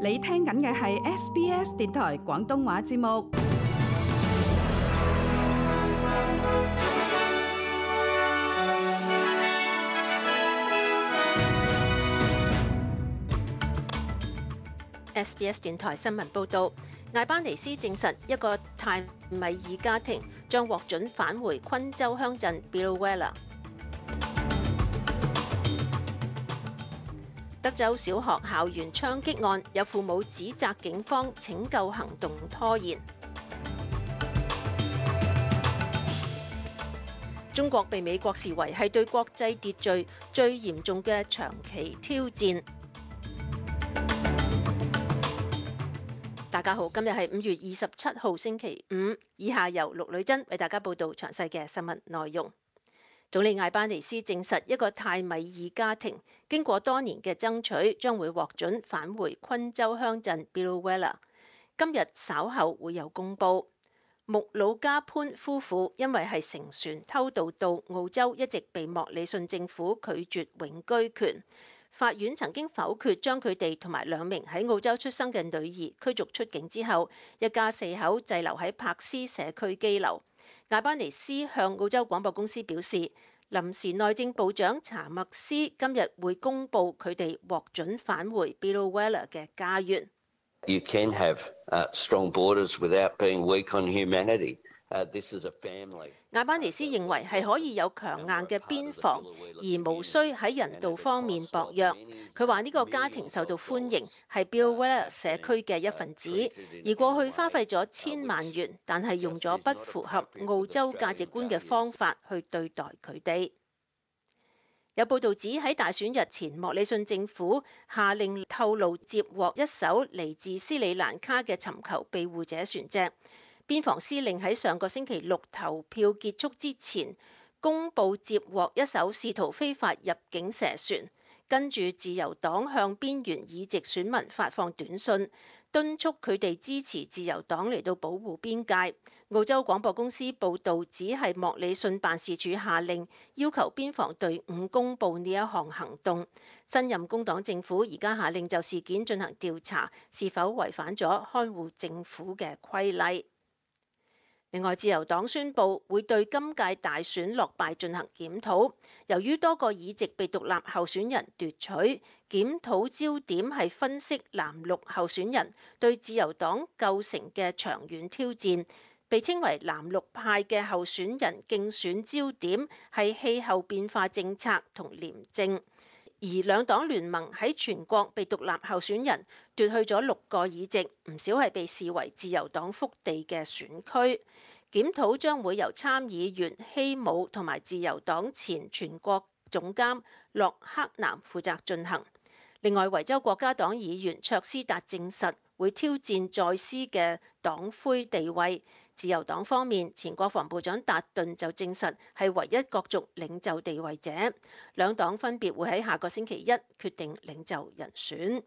你聽緊嘅係 SBS 電台廣東話節目。SBS 電台新聞報導，艾班尼斯證實一個泰米爾家庭將獲准返回昆州鄉鎮 Biloela。德州小學校園槍擊案，有父母指責警方拯救行動拖延。中國被美國視為係對國際秩序最嚴重嘅長期挑戰。大家好，今日係5月27號星期五，以下由陸女真為大家報道詳細嘅新聞內容。總理艾班尼斯證實，一個泰米爾家庭經過多年嘅爭取，將會獲准返回昆州鄉鎮 Biloela。今日稍後會有公佈。穆魯加潘夫婦因為係乘船偷渡到澳洲，一直被莫里遜政府拒絕永居權。法院曾經否決將佢哋同埋2名喺澳洲出生嘅女兒驅逐出境之後，一家4口滯留喺柏斯社區羈留。艾班尼斯向澳洲廣播公司表示，臨時內政部長查默斯今日會公佈佢哋獲准返回 Biloela 嘅家園。You can have strong borders without being weak on humanity. This is a family. 艾班尼斯認為係可以有強硬嘅邊防，而無需喺人道方面薄弱。佢話呢個家庭受到歡迎，係 Biloela 社區嘅一份子，而過去花費咗1000萬元，但係用咗不符合澳洲價值觀嘅方法去對待佢哋。有報道指喺大選日前，莫里遜政府下令透露接獲一艘嚟自斯里蘭卡嘅尋求庇護者船隻。邊防司令喺上個星期六投票結束之前，公佈接獲一艘試圖非法入境蛇船。跟住自由黨向邊緣議席選民發放短信，敦促佢哋支持自由黨嚟到保護邊界。澳洲廣播公司報導，只係莫里遜辦事處下令，要求邊防隊伍公佈呢一項行動。新任工黨政府而家下令就事件進行調查，是否違反咗看護政府嘅規例。另外，自由黨宣布會對今屆大選落敗進行檢討。由於多個議席被獨立候選人奪取，檢討焦點係分析藍綠候選人對自由黨構成嘅長遠挑戰。被稱為藍綠派嘅候選人競選焦點係氣候變化政策同廉政。而兩黨聯盟喺全國被獨立候選人奪去咗6個議席，唔少係被視為自由黨腹地嘅選區。檢討將會由參議員希姆同埋自由黨前全國總監洛克南負責進行。另外，維州國家黨議員卓斯達證實會挑戰在斯嘅黨魁地位。自由黨方面，前國防部長達頓就證實係唯一角逐領袖地位者。兩黨分別會喺下個星期一決定領袖人選。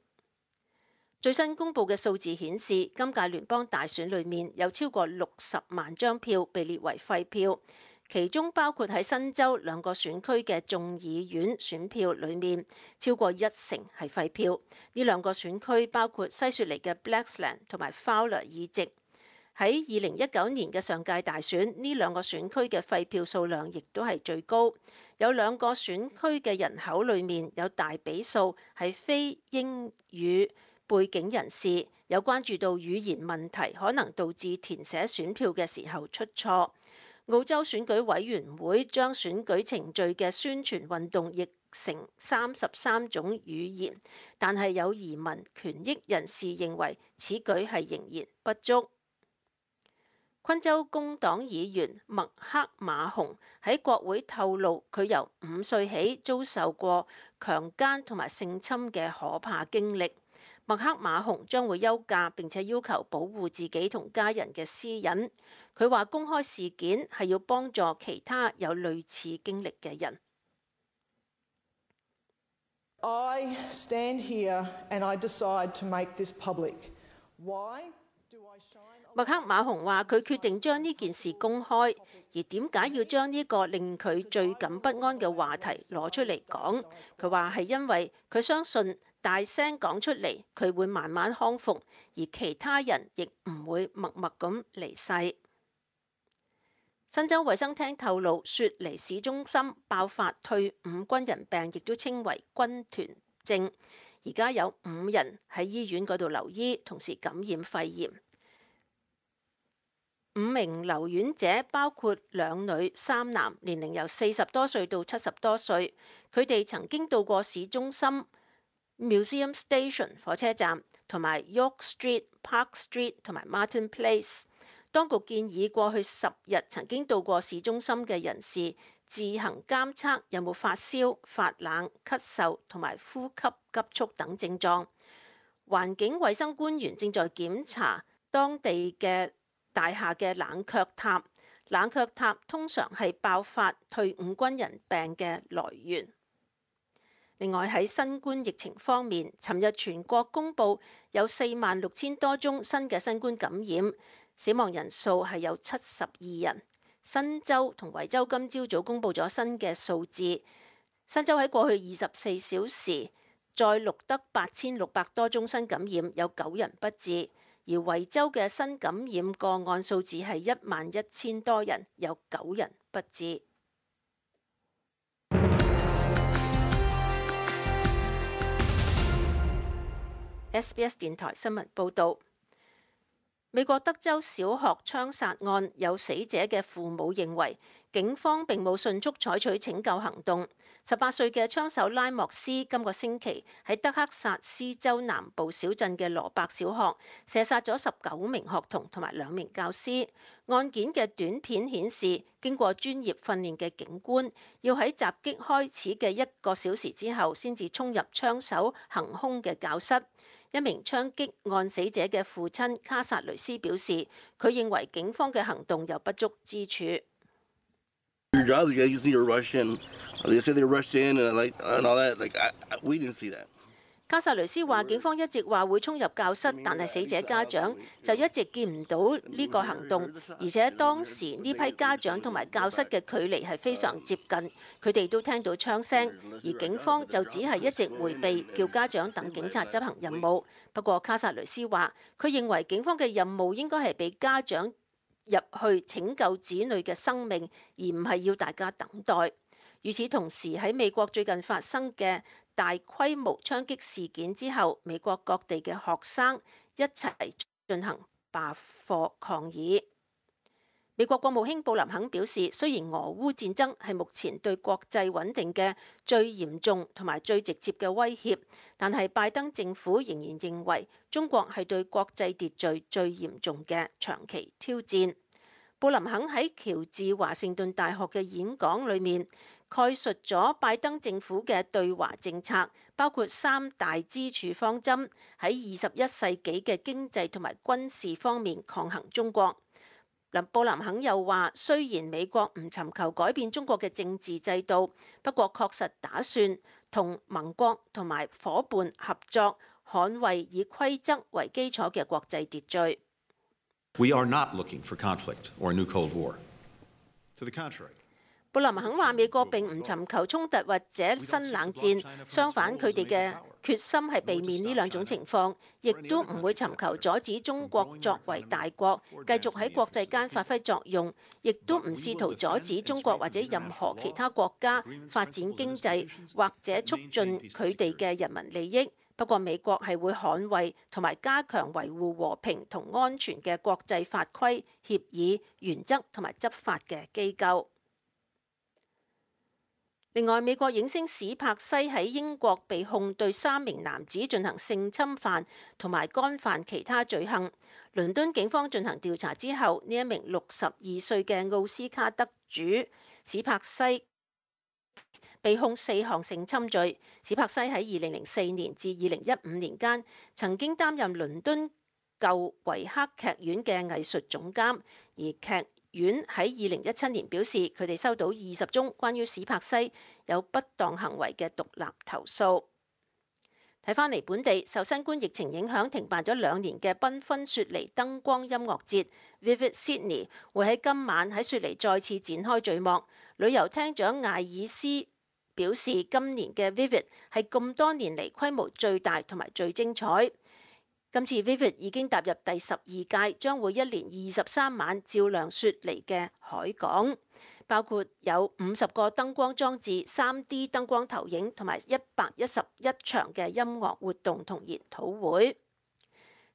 最新公布嘅數字顯示，今屆聯邦大選裏面有超過60萬張票被列為廢票，其中包括喺新州2個選區嘅眾議院選票裏面，超過1成係廢票。呢2個選區包括西雪梨嘅 Blaxland 同埋 Fowler 議席。喺2019年嘅上屆大選，呢2個選區嘅廢票數量亦都係最高。有2個選區嘅人口裏面有大比數係非英語背景人士，有關注到語言問題可能導致填寫選票嘅時候出錯。澳洲選舉委員會將選舉程序嘅宣傳運動譯成33種語言，但係有移民權益人士認為此舉係仍然不足。昆州工黨議員麥克馬洪喺國會透露，佢由5歲起遭受過強姦同埋性侵嘅可怕經歷。麥克馬洪將會休假，並且要求保護自己同家人嘅私隱。佢話公開事件係要幫助其他有類似經歷嘅人。I stand here and I decide to make this public. Why? 麥克馬洪話：佢決定將呢件事公開，而點解要將呢個令佢最感不安嘅話題攞出嚟講？佢話係因為佢相信大聲講出嚟，佢會慢慢康復，而其他人亦唔會默默咁離世。新州衛生廳透露，雪梨市中心爆發退伍軍人病，亦都稱為軍團症。而家有5人喺醫院嗰度留醫，同時感染肺炎。5名留院者包括2女3男，年齡由40多歲到70多歲。佢哋曾經到過市中心 Museum Station 火車站，同埋 York Street、Park Street 同埋 Martin Place。當局建議過去10日曾經到過市中心嘅人士自行監測有冇發燒、發冷、咳嗽同埋呼吸急促等症狀。環境衛生官員正在檢查當地嘅大廈嘅冷卻塔。冷卻塔通常係爆發退伍軍人病嘅來源。另外喺新冠疫情方面，尋日全國公佈有46,000多宗新嘅新冠感染。死亡人數係有72人。新州同維州今朝早公佈咗新嘅數字。新州喺過去24小時再錄得8,600多宗新感染，有9人不治。而維州嘅新感染個案數字係11,000多人，有9人不治。SBS 電台新聞報導。美國德州小學槍殺案有死者嘅父母認為，警方並冇迅速採取拯救行動。18歲嘅槍手拉莫斯今個星期喺德克薩斯州南部小鎮嘅羅伯小學射殺咗19名學童同埋2名教師。案件嘅短片顯示，經過專業訓練嘅警官要喺襲擊開始嘅1個小時之後先至衝入槍手行兇嘅教室。一名槍擊案死者嘅父親卡薩雷斯表示，佢認為警方嘅行動有不足之處。卡薩雷斯話：警方一直話會衝入教室，但係死者家長就一直見唔到呢個行動，而且當時呢批家長同埋教室嘅距離係非常接近，佢哋都聽到槍聲，而警方就只係一直迴避，叫家長等警察執行任務。不過卡薩雷斯話，佢認為警方嘅任務應該係俾家長入去拯救子女嘅生命，而唔係要大家等待。與此同時，喺美國最近發生嘅大規模槍擊事件之後，美國各地嘅學生一齊進行罷課抗議。美國國務卿布林肯表示，雖然俄烏戰爭係目前對國際穩定嘅最嚴重同埋最直接嘅威脅，但係拜登政府仍然認為中國係對國際秩序最嚴重嘅長期挑戰。布林肯喺喬治華盛頓大學嘅演講裏面概述咗拜登政府嘅對華政策，包括3大支柱方針，喺21世紀嘅經濟同埋軍事方面抗衡中國。布林肯又話，雖然美國唔尋求改變中國嘅政治制度，不過確實打算同盟國同埋夥伴合作，捍衛以規則為基礎嘅國際秩序。We are not looking for conflict or a new Cold War. To the contrary. 布林肯話：美國並唔尋求衝突或者新冷戰，相反，佢哋嘅決心係避免呢2種情況，亦都唔會尋求阻止中國作為大國繼續喺國際間發揮作用，亦都唔試圖阻止中國或者任何其他國家發展經濟或者促進佢哋嘅人民利益。不過，美國係會捍衛同埋加強維護和平同安全嘅國際法規、協議、原則同埋執法嘅機構。另外，美國影星史柏西喺英國被控對3名男子進行性侵犯同埋干犯其他罪行。倫敦警方進行調查之後，呢一名62歲嘅奧斯卡得主史柏西被控4項性侵罪。史柏西喺2004年至2015年間曾經擔任倫敦舊維克劇院嘅藝術總監，而劇院喺2017年表示，佢哋收到20宗關於史柏西有不當行為嘅獨立投訴。睇返嚟本地，受新冠疫情影響停辦咗2年嘅繽紛雪梨燈光音樂節 Vivid Sydney 會喺今晚喺雪梨再次展開序幕。旅遊廳長艾爾斯表示今年嘅 Vivid 係咁多年嚟規模最大同埋最精彩。今次 Vivid 已經踏入第12屆，將會一連23晚照亮雪梨嘅海港，包括有50個燈光裝置、3D 燈光投影同埋111場嘅音樂活動同研討會。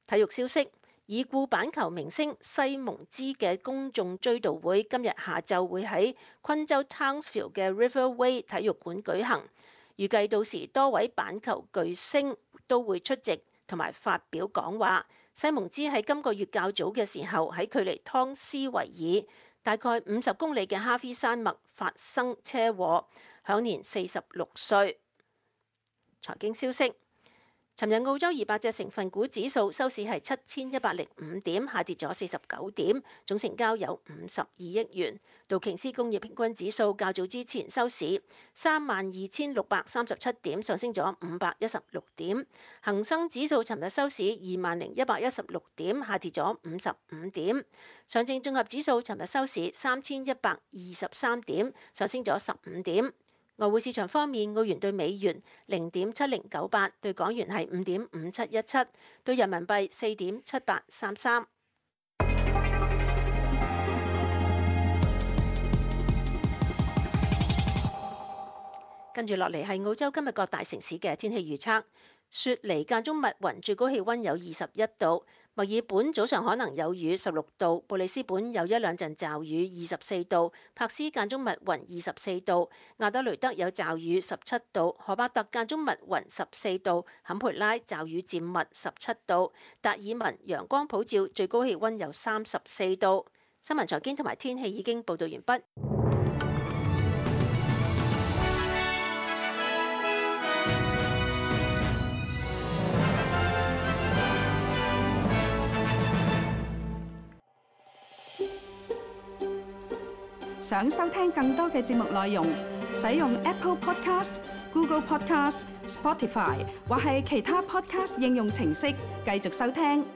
體育消息。已故板球明星西蒙茲嘅公眾追悼會今日下晝會喺昆州 Townsville 嘅 Riverway 體育館舉行，預計到時多位板球巨星都會出席同埋發表講話。西蒙茲喺今個月較早嘅時候喺距離湯斯維爾大概50公里嘅哈菲山脈發生車禍，享年46歲。財經消息。尋日澳洲200隻成分股指數收市係7105點，下跌咗49點，總成交有52億元。道瓊斯工業平均指數較早之前收市32637點，上升咗516點。恒生指數尋日收市20116點，下跌咗55點。上證綜合指數尋日收市3123點，上升咗15點。外匯市場方面，澳元對美元0.7098，對港元係5.5717，對人民幣4.7833。跟住落嚟係澳洲今日各大城市嘅天氣預測。雪梨間中密雲，最高氣溫有21度；墨爾本早上可能有雨16度；布里斯本有一兩陣驟雨24度；柏斯間中密雲24度；亞德雷德有驟雨17度；荷巴特間中密雲14度；坎培拉驟雨漸密17度；達爾文陽光普照，最高氣溫有34度。新聞財經同埋天氣已經報道完畢。想收聽更多嘅節目內容，使用 Apple Podcast、Google Podcast、Spotify 或係其他 Podcast 應用程式繼續收聽。